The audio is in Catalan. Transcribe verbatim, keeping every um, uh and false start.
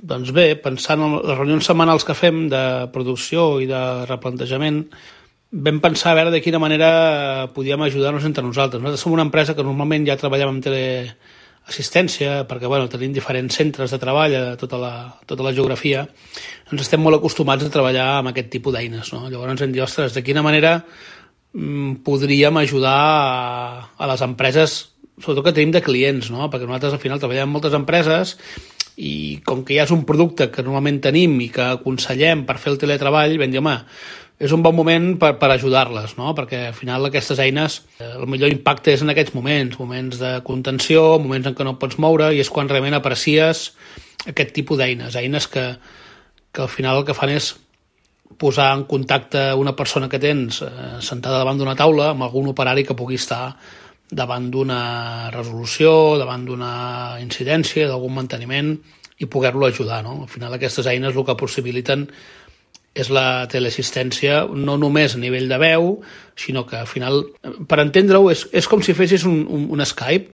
Doncs bé, pensant en les reunions setmanals que fem de producció i de replantejament, vam pensar a veure de quina manera podíem ajudar-nos entre nosaltres. Nosaltres som una empresa que normalment ja treballem amb teleassistència, perquè bueno, tenim diferents centres de treball a tota la, tota la geografia. Ens estem molt acostumats a treballar amb aquest tipus d'eines, no? Llavors ens hem dit, ostres, de quina manera mm, podríem ajudar a, a les empreses, sobretot que tenim de clients, no? Perquè nosaltres al final treballem amb moltes empreses i com que ja és un producte que normalment tenim i que aconsellem per fer el teletreball, vam dir, home, és un bon moment per, per ajudar-les, no? Perquè al final aquestes eines, eh, el millor impacte és en aquests moments, moments de contenció, moments en què no pots moure, i és quan realment aprecies aquest tipus d'eines, eines que, que al final el que fan és posar en contacte una persona que tens eh, sentada davant d'una taula amb algun operari que pugui estar davant d'una resolució, davant d'una incidència, d'algun manteniment, i poder-lo ajudar, no? Al final aquestes eines el que possibiliten és la teleassistència no només a nivell de veu, sinó que al final, per entendre-ho, és, és com si fessis un, un, un Skype,